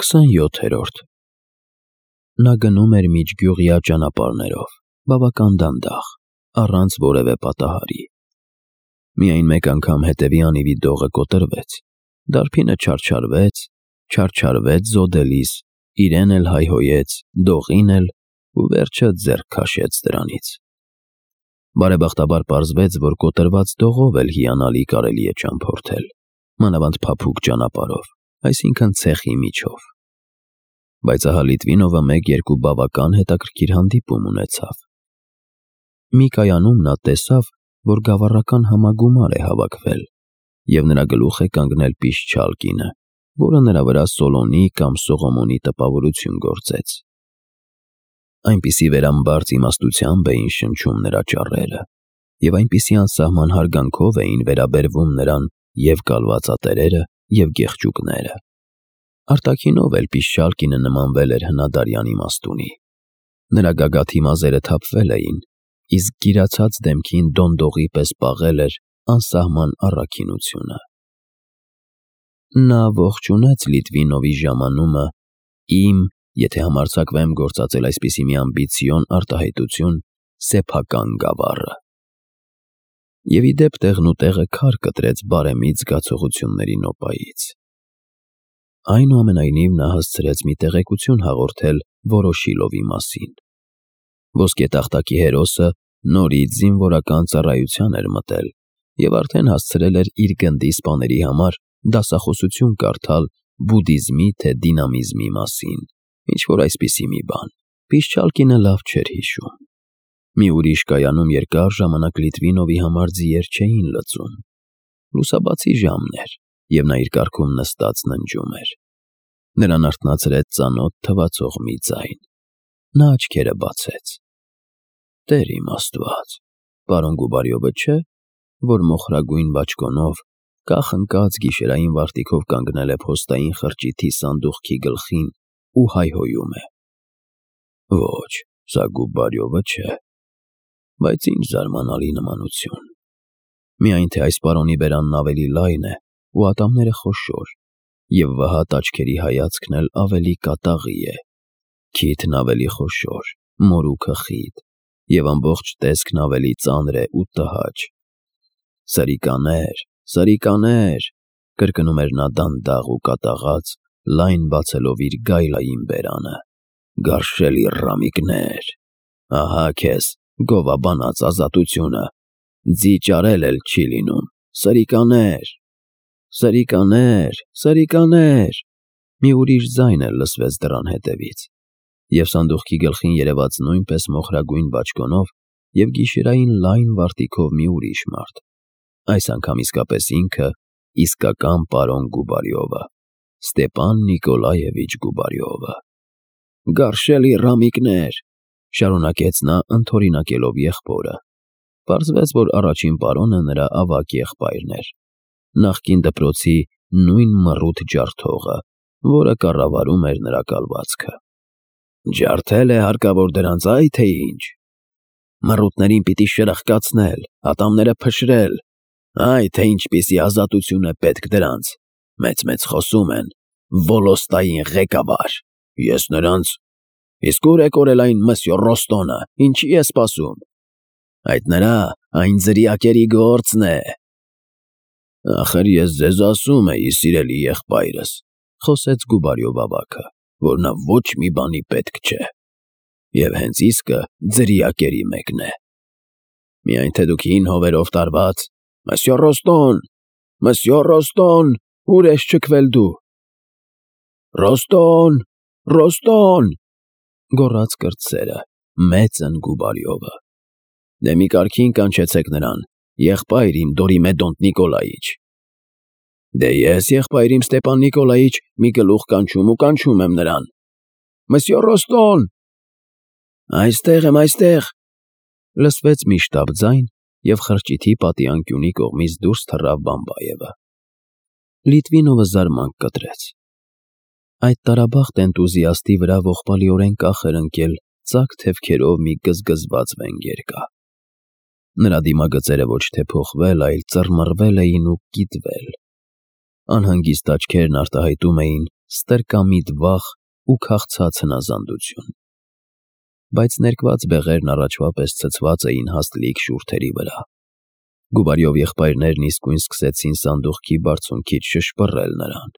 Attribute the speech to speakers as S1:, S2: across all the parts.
S1: 27-րդ Նա գնում էր միջգյուղյա ճանապարհներով, բավական դանդաղ, առանց որևէ պատահարի։ Միայն մեկ անգամ հետևի անիվի դողը կոտրվեց, դարբինը չարչարվեց զոդելիս, իրեն էլ հայհոյեց, դողին էլ ու վերջը ձեռք քաշեց դրանից։ Բարեբախտաբար պարզվեց, որ կոտրված դողով էլ հիանալի կարելի է ճամփորդել, մանավանդ փափուկ ճանապարհով, այսինքն ցեխի միջով։ Բայց ահա Լիտվինովը մեկ-երկու բավական հետաքրքիր հանդիպում ունեցավ։ Մի կայանում նա տեսավ, որ գավառական համագումար է հավաքվել, և նրա գլուխ է կանգնել Պիշչալ կինը, որը նրա վրա Սոլոնի կամ Սողոմոնի տպավորություն գործեց։ Այնպիսի վերամբարձ իմաստությամբ էին շնչում նրա ճառերը, և այնպիսի անսահման հարգանքով էին վերաբերվում նրան և կալվածատերերը, և գեղջուկները։ Արտաքինով էլ Պիշչալ կինը նմանվել էր հնադարյան իմաստունի։ Նրա գագաթի մազերը թափվել էին, իսկ գիրացած դեմքին դոնդողի պես պաղել էր անսահման առաքինությունը։ Նա ողջունեց Լիտվինովի ժամանումը «իմ, եթե համարձակվեմ գործածել այսպիսի մի ամբիցիոն արտահայտություն, սեփական գավառը» և ի դեպ տեղնուտեղը քար կտրեց բարեմիտ զգացողությունների նոպայից։ Այնուամենայնիվ նա հասցրեց մի տեղեկություն հաղորդել Վորոշիլովի մասին։ Ոսկե տախտակի հերոսը նորից զինվորական ծառայության էր մտել և արդեն հասցրել էր իր գնդի սպաների համար դասախոսություն կարդալ բուդդիզմի թե դինամիզմի մասին, ինչ-որ այսպիսի մի բան։ Պիշչալ կինը լավ չէր հիշում։ Մի ուրիշ կայանում երկար ժամանակ Լիտվինովի համար ձիեր չէին լծում։ Լուսաբացի ժամն էր, և նա իր կառքում նստած ննջում էր։ Նրան արթնացրեց ծանոթ թվացող մի ձայն։ Նա աչքերը բացեց։ Տեր իմ Աստված, պարոն Գուբարյովը չէ՞, որ մոխրագույն բաճկոնով, կախ-ընկած գիշերային վարտիքով կանգնել է փոստային խրճիթի սանդուղքի գլխին ու հայհոյում է։ Ոչ, սա Գուբարյովը չէ, բայց ինչ զարմանալի նմանություն։ Միայն թե այս պարոնի բերանն ավելի լայն է ու ատամները խոշոր, և վհատ աչքերի հայացքն էլ ավելի կատաղի է, քիթն ավելի խոշոր, մորուքը խիտ, և ամբողջ տեսքն ավելի ծանր է ու տհաճ։ Սրիկաներ, սրիկաներ, կրկնում էր նա դանդաղ ու կատաղած, լայն բացելով իր գայլային բերանը, գարշելի ռամիկներ, ահա քեզ գովաբանած ազատությունը, ձի ճարել էլ չի լինում, սրիկաներ, սրիկաներ, սրիկաներ։ Մի ուրիշ ձայն էլ լսվեց դռան հետևից, և սանդուղքի գլխին երևաց նույնպես մոխրագույն բաճկոնով և գիշերային լայն վարտիքով մի ուրիշ մարդ, այս անգամ իսկապես ինքը, իսկական պարոն Գուբարյովը, Ստեպան Նիկոլաևիչ Գուբարյովը։ Գարշելի ռամիկներ, շարունակեց նա ընդօրինակելով եղբորը։ Պարզվեց, որ առաջին պարոնը նրա ավագ եղբայրն էր, նախկին դպրոցի նույն մռութ ջարդողը, որը կառավարում էր նրա կալվածքը։ Ջարդել է հարկավոր դրանց, այ թե ինչ։ Մռութներին պիտի շրխկացնել, ատամները փշրել, այ թե ինչպիսի ազատություն է պետք դրանց, մեծ-մեծ խոսում են, Վոլոստային ղեկավար, ես նրանց… Իսկ ուր է կորել այն մսյո Ռոստոնը, ինչի է սպասում։ Այդ նրա, այն ձրիակերի գործն է։ Ախր ես ձեզ ասում էի, սիրելի եղբայրս, խոսեց Գուբարյով ավագը, որ նա ոչ մի բանի պետք չէ, և հենց իսկը ձրիակերի մեկն է։ Միայն թե դուք հին հովերով տարված… Մսյո Ռոստոն, ուր ես չքվել դու։ Ռոստոն, Ռոստոն, գոռաց կրտսերը, մեծն Գուբարյովը։ Դե մի կարգին կանչեցեք նրան, եղբայր իմ Դորիմեդոնտ Նիկոլայիչ։ Դե ես, եղբայր իմ Ստեպան Նիկոլայիչ, մի գլուխ կանչում ու կանչում եմ նրան։ Մսյո Ռոստոն… Այստեղ եմ, այստեղ… Լսվեց մի շտապ ձայն, և խրճիթի պատի անկյունի կողմից դուրս թռավ Բամբայևը։ Լիտվինովը զարմանք կտրեց։ Այդ տարաբախտ էնտուզիաստի վրա ողբալիորեն կախ էր ընկել ծակ թևքերով մի գզգզված վենգերկա։ Նրա դիմագծերը ոչ թե փոխվել, այլ ծռմռվել էին ու կիտվել։ Անհանգիստ աչքերն արտահայտում էին, ստրկամիտ վախ ու քաղցած հնազանդություն։ Բայց ներկված բեղերն առաջվա պես ցցված էին հաստլիկ շուրթերի վրա։ Գուբարյով եղբայրներն իսկույն սկսեցին սանդուղքի բարձունքից շշպռել նրան։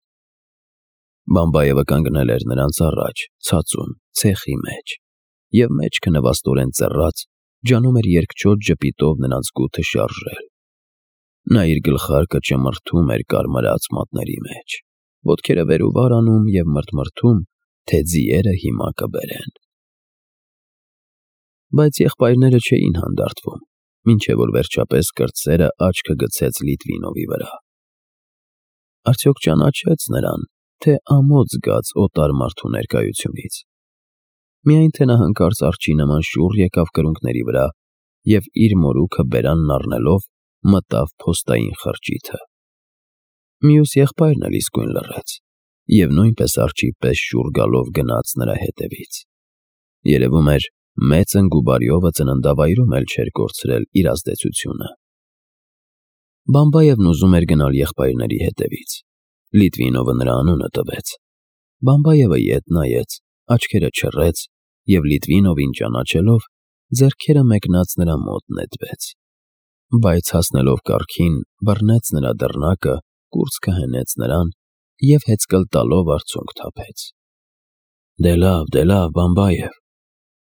S1: Բամբայևը կանգնել էր նրանց առաջ, ցածում, ցեխի մեջ, և մեջքը նվաստորեն ծռած, ջանում էր երկչոտ ժպիտով նրանց գութը շարժել։ Նա իր գլխարկը ճմրթում էր կարմրած մատների մեջ, ոտքերը վեր ու վար անում և մրթմրթում, թե ձիերը հիմա կբերեն։ Բայց եղբայրները չէին հանդարտվում, մինչև որ վերջապես կրտսերը աչքը գցեց Լիտվինովի վրա։ Արդյոք ճանաչեց նրան, թե ամոթ զգաց օտար մարդու ներկայությունից։ Միայն թե նա հանկարծ արջի նման շուռ եկավ կրունկների վրա և իր մորուքը բերանն առնելով մտավ փոստային խրճիթը։ Մյուս եղբայրն էլ իսկույն լռեց և նույնպես արջի պես շուռ գալով գնաց նրա հետևից։ Երևում էր, մեծն Գուբարյովը ծննդավայրում էլ չէր կորցրել իր ազդեցությունը։ Բամբայևն ուզում էր գնալ եղբայրների հետևից։ Լիտվինովը նրա անունը տվեց։ Բամբայևը ետ նայեց, աչքերը չռեց և Լիտվինովին ճանաչելով, ձեռքերը մեկնած նրա մոտ նետվեց։ Բայց հասնելով կառքին, բռնեց նրա դռնակը, կուրծքը հենեց նրան և հեծկլ տալով արցունք թափեց։ Դե լավ, Բամբայև,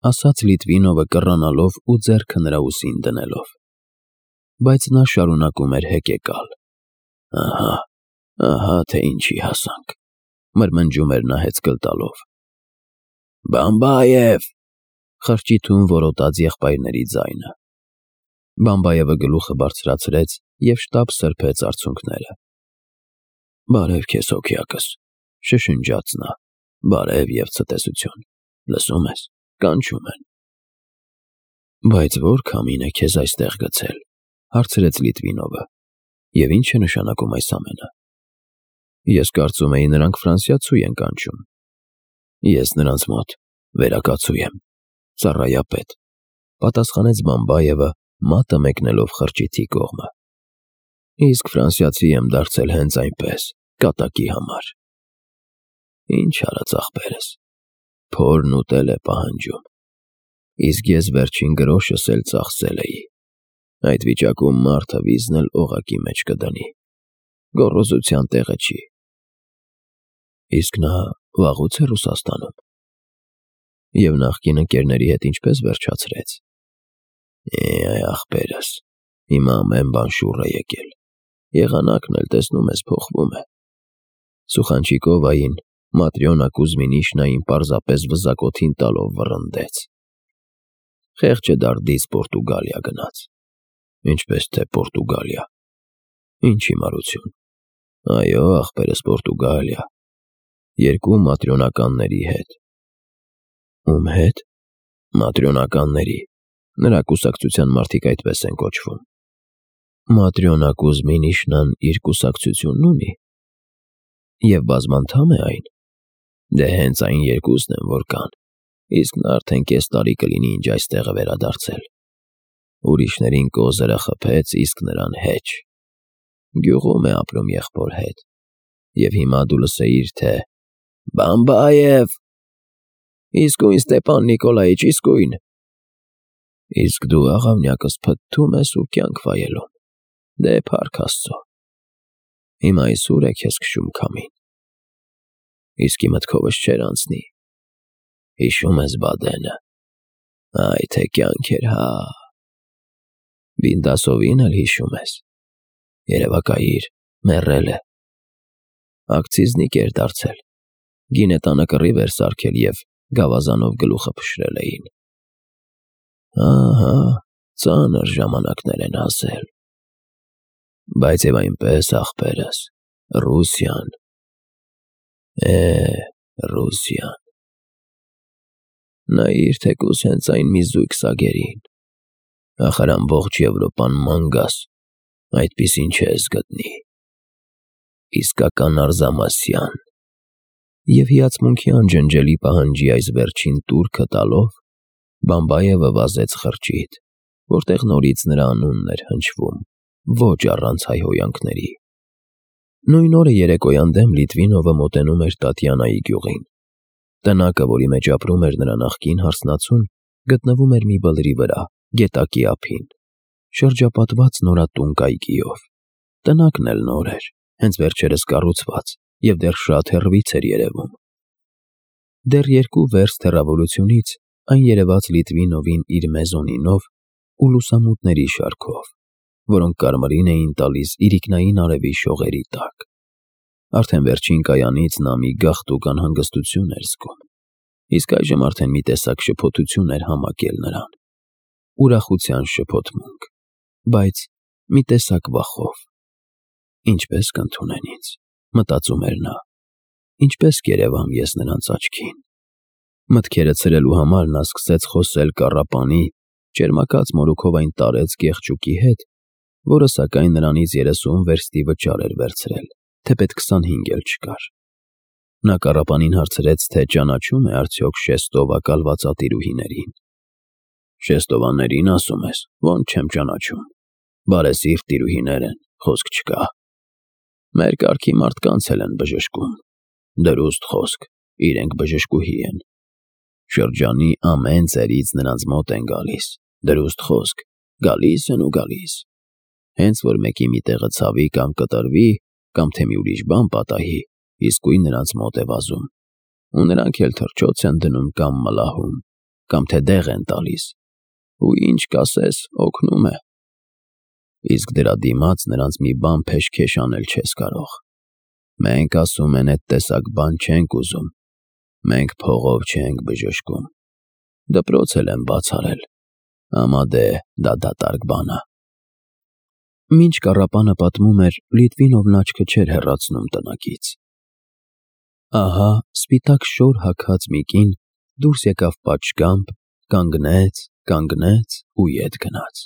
S1: ասաց Լիտվինովը կռանալով ու ձեռքը նրա ուսին դնելով։ Բայց նա շարունակում էր հեկեկալ։ Ահա թե ինչի հասանք, մրմնջում էր նա հեծկլ տալով։ Բամբայև, խրճիթում որոտաց եղբայրների ձայնը։ Բամբայևը գլուխը բարձրացրեց և շտապ սրբեց արցունքները։ Բարև քեզ հոգյակս, շշնջաց նա, բարև և ցտեսություն, լսում ես, կանչում են։ Բայց ո՞ր քամին է քեզ այստեղ գցել, հարցրեց Լիտվինովը, և ի՞նչ է նշանակում այս ամենը։ Ես կարծում էի նրանք ֆրանսիացու են կանչում։ Ես նրանց մոտ վերակացու եմ, ծառայապետ, պատասխանեց Բամբայևը, մատը մեկնելով խրճիթի կողմը։ Իսկ ֆրանսիացի եմ դարձել հենց այնպես, կատակի համար։ Ինչ արած ախպերս, փորն ուտել է պահանջում։ Իսկ ես վերջին գրոշս էլ ծախսել էի։ Այդ վիճակում մարդը վիզն էլ օղակի մեջ կդնի։ Գոռոզության տեղը չի։ Իսկ նա վաղուց է Ռուսաստանում։ Եվ նախկին ընկերների հետ ինչպես վերջացրեց։ Ախպերս, հիմա ամեն բան շուռ է եկել։ Եղանակն էլ տեսնում ես փոխվում է։ Սուխանչիկովային Մատրյոնա Կուզմինիշնային պարզապես վզակոթին տալով վռնդեց։ Խեղճը դարդից Պորտուգալիա գնաց։ Ինչպես թե Պորտուգալիա։ Ինչ հիմարություն։ Այո, ախպերս Պորտուգալիա։ 2 մատրյոնականների հետ։ Ում հետ։ Մատրյոնականների։ Նրա կուսակցության մարդիկ այդպես են կոչվում։ Մատրյոնա Կուզմինիշնան իր կուսակցությունն ունի։ Եվ բազմանդամ է այն։ Դե հենց այն 2-ն են, որ կան, իսկ նա արդեն կես տարի կլինի, ինչ այստեղ է վերադարձել։ Ուրիշներին կոզերը խփեց, իսկ նրան հեչ։ Գյուղում է ապրում եղբոր հետ։ Եվ հիմա դու լսեիր, թե Բամբայև։ Իսկույն Ստեպան Նիկոլայիչ, իսկույն։ Իսկ դու աղավնյակս փթթում ես ու կյանք վայելում։ Դե փառք Աստծո։ Հիմա իսուր է քեզ քշում քամին։ Իսկի մտքովս չէր անցնի։ Հիշում ես Բադենը։ Այ թե կյանք էր, հա։ Բինդասովին էլ հիշում ես։ Երևակայիր, մեռել է։ Ակցիզնիկ էր դարձել։ Գինետանը կռիվ էր սարքել և գավազանով գլուխը փշրել էին։ Ահա, ծանր ժամանակներ են հասել։ Բայց և այնպես, ախպերս, Ռուսիան։ Ռուսիան։ Նայիր թեկուզ հենց այն մի զույգ սագերին։ Ախր ամբողջ Եվրոպան մանգաս, այդպիսին չես գտնի։ Իսկական Արզամասյան։ Եվ հիացմունքի անջնջելի պահանջի այս վերջին տուրքը տալով, Բամբայևը վազեց խրճիթ, որտեղ նորից նրա անունն էր հնչվում, ոչ առանց հայհոյանքների։ Նույն օրը երեկոյան դեմ Լիտվինովը մոտենում էր Տատյանայի գյուղին։ Տնակը, որի մեջ ապրում էր նրա նախկին հարսնացուն, գտնվում էր մի բլրի վրա, գետակի ափին, շրջապատված նորատուն կայքիով։ Տնակն էլ նոր էր, հենց վերջերս կառուցված, և դեռ շատ հեռվից էր երևում։ Դեռ 2 վերստ հեռավորությունից այն երևաց Լիտվինովին իր մեզոնինով ու լուսամուտների շարքով, որոնք կարմրին էին տալիս իրիկնային արևի շողերի տակ։ Արդեն վերջին կայանից նա մի գաղթուկ անհանգստություն էր զգում, իսկ այժմ արդեն մի տեսակ շփոթություն էր համակել նրան, ուրախության շփոթմունք, բայց մի տեսակ վախով։ Ինչպես կընդունեն ինձ, մտածում էր նա, ինչպես կերևամ ես նրանց աչքին։ Մտքերը ցրելու համար նա սկսեց խոսել կառապանի, ճերմակած մորուքով այն տարեց գեղջուկի հետ, որը սակայն նրանից 30 վերստի վճար էր վերցրել, թեպետ 25 էլ չկար։ Նա կառապանին հարցրեց, թե ճանաչում է արդյոք Շեստովա կալվածատիրուհիներին։ Շեստովաներին ասում ես, ոնց չեմ ճանաչում, բարեսիրտ տիրուհիներ են, խոսք չկա։ Մեր կարգի մարդկանց էլ են բժշկում, դրուստ խոսք, իրենք բժշկուհի են։ Շրջանի ամեն ծերից նրանց մոտ են գալիս, դրուստ խոսք, գալիս են ու գալիս։ Հենց որ մեկի մի տեղը ցավի կամ կտրվի, կամ թե մի ուրիշ բան պատահի, իսկույն նրանց մոտ է վազում։ Ու նրանք էլ թռչոց են դնում կամ մլահում, կամ թե դեղ են տալիս։ Ու ինչ կասես, օգնում է։ Իսկ դրա դիմաց նրանց մի բան փեշքեշ անել չես կարող։ Մենք ասում են, այդ տեսակ բան չենք ուզում։ Մենք փողով չենք բժշկում։ Դպրոց էլ եմ բաց արել։ Ամա դե դա դատարկ բան է։ Մինչ կառապանը պատմում էր, Լիտվինովն աչքը չէր հեռացնում տնակից։ Ահա սպիտակ շոր հագած մի կին դուրս եկավ պատշգամբ, կանգնեց ու ետ գնաց։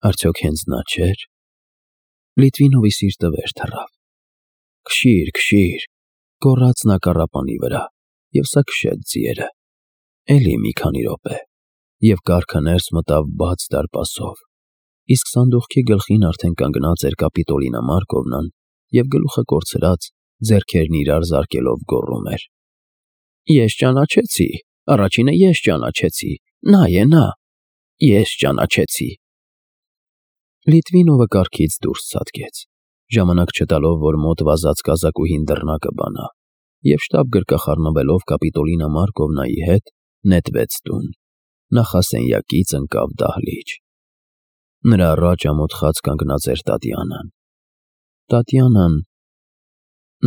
S1: Արդյոք հենց նա չէր։ Լիտվինովի սիրտը վեր թռավ։ Քշիր, գոռաց նա կառապանի վրա, և սա քշեց ձիերը։ Էլի մի քանի րոպե, և կառքը ներս մտավ բաց դարպասով, իսկ սանդուղքի գլխին արդեն կանգնած էր Կապիտոլինա Մարկովնան և գլուխը կորցրած, ձեռքերն իրար զարկելով գոռում էր. Ես ճանաչեցի, առաջինը ես ճանաչեցի, նա է նա, ես ճանաչեցի։ Լիտվինովը կառքից դուրս ցատկեց, ժամանակ չտալով, որ մոտ վազած կազակուհին դռնակը բանա, և շտապ գրկախառնվելով Կապիտոլինա Մարկովնայի հետ, նետվեց տուն, նախասենյակից ընկավ դահլիճ։ Նրա առաջ ամոթխած կանգնած էր Տատյանան։ Տատյանան…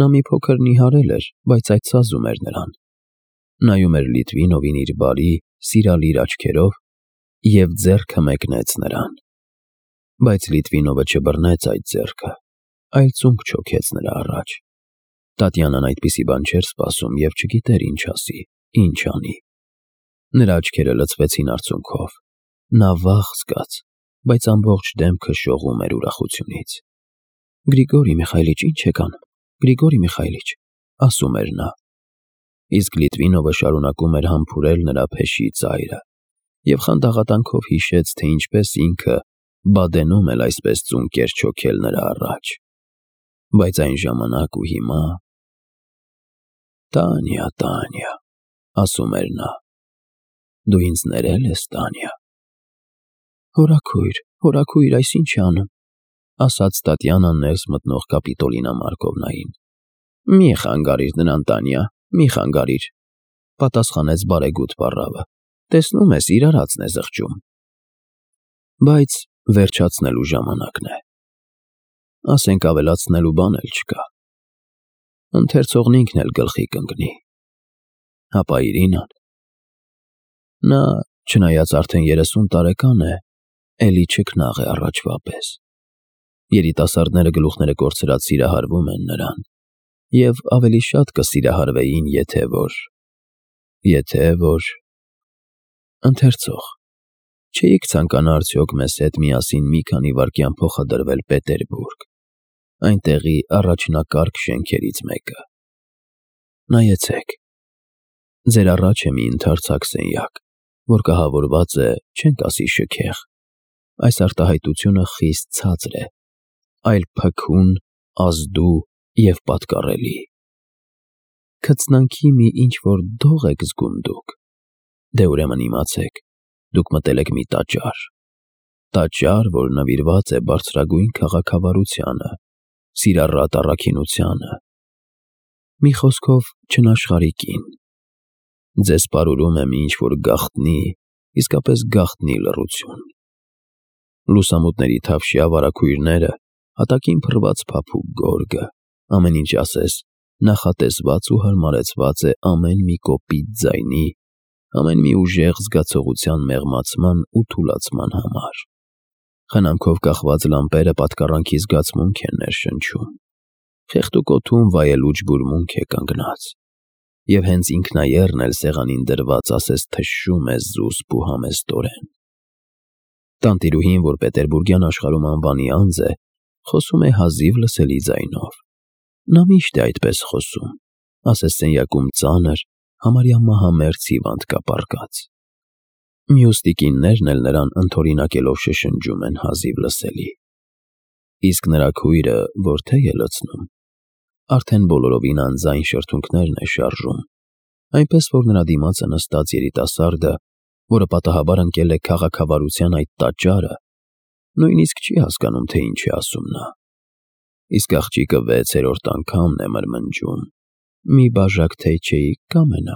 S1: Նա մի փոքր նիհարել էր, բայց այդ սազում էր նրան։ Նայում էր Լիտվինովին իր բարի, սիրալիր աչքերով և ձեռքը մեկնեց նրան։ Բայց Լիտվինովը չբռնեց այդ ձեռքը, այլ ծունկ չոքեց նրա առաջ։ Տատյանան այդպիսի բան չէր սպասում և չգիտեր ինչ ասի, ինչ անի։ Նրա աչքերը լցվեցին արցունքով։ Նա վախ զգաց, բայց ամբողջ դեմքը շողում էր ուրախությունից։ Գրիգորի Միխայիլիչ, ինչ եք անում, Գրիգորի Միխայիլիչ, ասում էր նա։ Իսկ Լիտվինովը շարունակում էր համբուրել նրա փեշի ծայրը և խանդաղատանքով հիշեց, թե ինչպես ինքը Բադենում էլ այսպես ծունկ էր չոքել նրա առաջ։ Բայց այն ժամանակ ու հիմա… Տանյա, ասում էր նա, դու ինձ ներել ես, Տանյա։ Հորաքույր, այս ինչ է անում, ասաց Տատյանան ներս մտնող Կապիտոլինա Մարկովնային։ Մի խանգարիր նրան, Տանյա, մի խանգարիր, պատասխանեց բարեգութ պառավը, տեսնում ես, իր արածն է զղջում։ Բայց վերջացնելու ժամանակն է։ Ասենք ավելացնելու բան էլ չկա։ Ընթերցողն ինքն էլ գլխի կընկնի։ Հապա Իրինան… Նա, չնայած արդեն 30 տարեկան է, էլի չքնաղ է առաջվա պես։ Երիտասարդները գլուխները կորցրած սիրահարվում են նրան, և ավելի շատ կսիրահարվեին, եթե որ… Ընթերցող… Չէիք ցանկանա արդյոք մեզ հետ միասին մի քանի վայրկյան փոխադրվել Պետերբուրգ, այնտեղի առաջնակարգ շենքերից մեկը։ Նայեցեք, ձեր առաջ է մի ընդարձակ սենյակ, որ կահավորված է, չենք ասի շքեղ, այս արտահայտությունը խիստ ցածր է, այլ փքուն, ազդու և պատկառելի։ Քծնանքի մի ինչ-որ դող եք զգում դուք, դե ուրեմն իմացեք, դուք մտել եք մի տաճար, որ նվիրված է բարձրագույն քաղաքավարությանը, սիրառատ առաքինությանը, մի խոսքով չնաշխարհի կին։ Ձեզ պարուրում է մի ինչ-որ գաղտնի, իսկապես գաղտնի լռություն։ Լուսամուտների թավշյա վարագույրները, հատակին փռված փափուկ գորգը, ամեն ինչ ասես նախատեսված ու հարմարեցված է ամեն մի կոպիտ ձայնի, ամեն մի ուժեղ զգացողության մեղմացման ու թուլացման համար։ Խնամքով կախված լամպերը պատկառանքի զգացմունք են ներշնչում։ Խեղդուկ օդում վայելուչ բուրմունք է կանգնած, և հենց ինքնայեռն էլ սեղանին դրված ասես թշում է զուսպ ու համեստորեն։ Տանտիրուհին, որ պետերբուրգյան աշխարհում անվանի անձ է, խոսում է հազիվ լսելի ձայնով։ Նա միշտ է այդպես խոսում, ասես սենյակում ծանր, համարյա մահամերձ հիվանդ կա պառկած։ Մյուս տիկիններն էլ նրան ընդօրինակելով շշնջում են հազիվ լսելի։ Իսկ նրա քույրը որ թեյ է լցնում, արդեն բոլորովին անձայն շրթունքներն է շարժում, այնպես որ նրա դիմացը նստած երիտասարդը, որը պատահաբար ընկել է քաղաքավարության այդ տաճարը, նույնիսկ չի հասկանում, թե ինչ է ասում նա։ Իսկ աղջիկը 6-րդ անգամն է մրմնջում. «Մի բաժակ թեյ չէի կամենա»։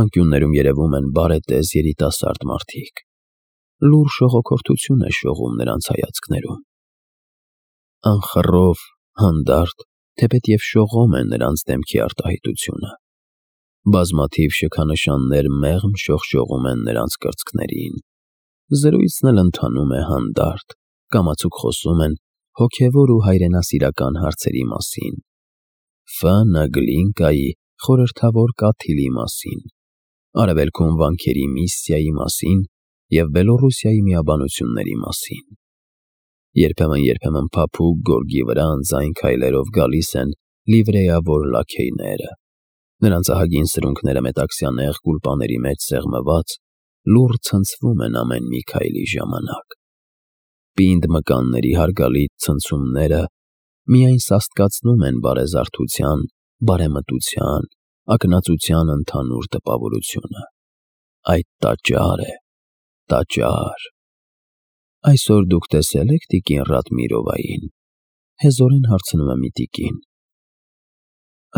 S1: Անկյուններում երևում են բարետես երիտասարդ մարդիկ։ Լուռ շողոքորթություն է շողում նրանց հայացքներում։ Անխռով, հանդարտ, թեպետև շողոմ է նրանց դեմքի արտահայտությունը։ Բազմաթիվ շքանշաններ մեղմ շողշողում են նրանց կրծքներին։ Զրույցն էլ ընթանում է հանդարտ, կամացուկ խոսում են հոգևոր ու հայրենասիրական հարցերի մասին, Ֆ.Ն. Գլինկայի խորհրդավոր կաթիլի մասին, Արևելքում վանքերի միսիայի մասին և Բելոռուսիայի միաբանությունների մասին։ Երբեմն փափուկ գորգի վրա անձայն քայլերով գալիս են լիվրեավոր լաքեյները, նրանց ահագին սրունքները մետաքսյա նեղ գուլպաների մեջ սեղմված, լուռ ցնցվում են ամեն մի քայլի ժամանակ։ Պինդ մկանների հարգալից ցնցումները միայն սաստկացնում են բարեզարդության, բարեմտության, ակնածության ընդհանուր տպավորությունը։ Այդ տաճար է, տաճար։ Այսօր դուք տեսե՞լ եք տիկին Ռադմիրովային, հեզորեն հարցնում է մի տիկին։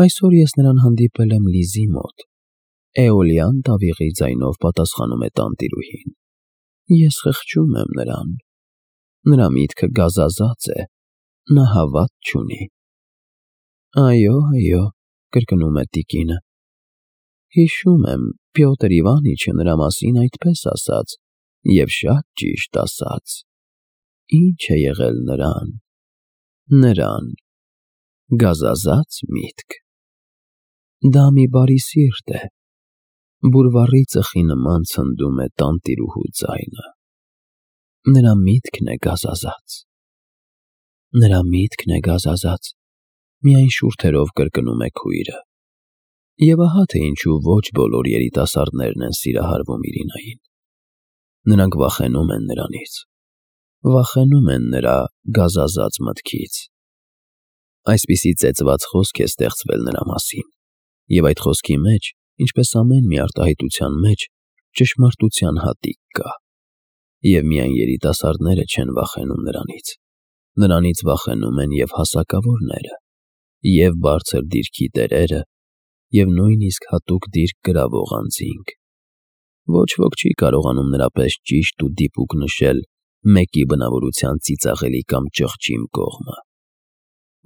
S1: Այսօր ես նրան հանդիպել եմ Լիզի մոտ, էոլյան տավիղի ձայնով պատասխանում է տանտիրուհին։ Ես խղճում եմ նրան։ Նրա միտքը գազազած է, նա հավատ չունի։ Այո, կրկնում է տիկինը։ Հիշում եմ, Պյոտր Իվանիչը նրա մասին այդպես ասաց, և շատ ճիշտ ասաց։ Ինչ է եղել նրան, գազազած միտք։ Դա մի բարի սիրտ է, բուրվառի ծխի նման ցնդում է տանտիրուհու ձայնը։ Նրա միտքն է գազազած, միայն շուրթերով կրկնում է քույրը։ Եվ ահա թե ինչու ոչ բոլոր երիտասարդներն են սիրահարվում Իրինային։ Նրանք վախենում են նրանից, վախենում են նրա գազազած մտքից։ Այսպիսի ծեծված խոսք է ստեղծվել նրա մասին, և այդ խոսքի մեջ, ինչպես ամեն մի արտահայտության մեջ, ճշմարտության հատիկ կա։ Եվ միայն երիտասարդները չեն վախենում նրանից վախենում են և հասակավորները, և բարձր դիրքի տերերը, և նույնիսկ հատուկ դիրք գրավող անձինք։ Ոչ ոք չի կարողանում նրա պես ճիշտ ու դիպուկ նշել մեկի բնավորության ծիծաղելի կամ ճղճիմ կողմը։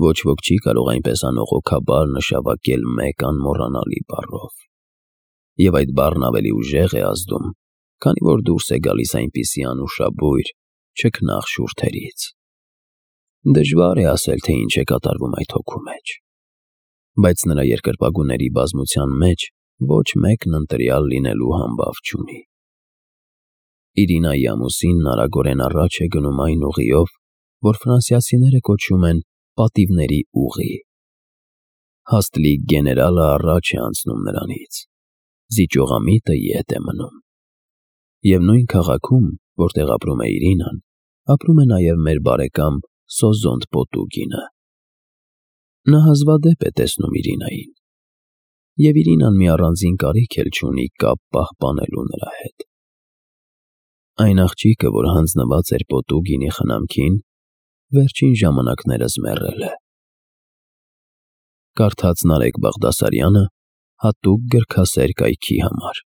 S1: Ոչ ոք չի կարող այնպես անողոքաբար նշավակել մեկ անմոռանալի բառով։ Եվ այդ բառն ավելի ուժեղ է ազդում, քանի որ դուրս է գալիս այնպիսի անուշաբույր, չքնաղ շուրթերից։ Դժվար է ասել, թե ինչ է կատարվում այդ հոգու մեջ, բայց նրա երկրպագուների բազմության մեջ ոչ մեկն ընտրյալ լինելու համբավ չունի։ Իրինայի ամուսինն արագորեն առաջ է գնում այն ուղիով, որ ֆրանսիացիները կոչում են պատիվների ուղի։ Հաստլիկ գեներալը առաջ է անցնում նրանից, զիջողամիտը ետ է մնում։ Եվ նույն քաղաքում, որտեղ ապրում է Իրինան, ապրում է նաև մեր բարեկամ Սոզոնտ Պոտուկինը, Նա հազվադեպ է տեսնում Իրինային, և Իրինան մի առանձին կարիք էլ չունի կապ պահպանելու նրա հետ։ Այն աղջիկը, որ հանձնված էր պոտու գինի խնամքին, վերջին ժամանակներս մեռել է։ Կարդաց Նարեկ Բաղդասարյանը հատուկ գրքասեր կայքի համար։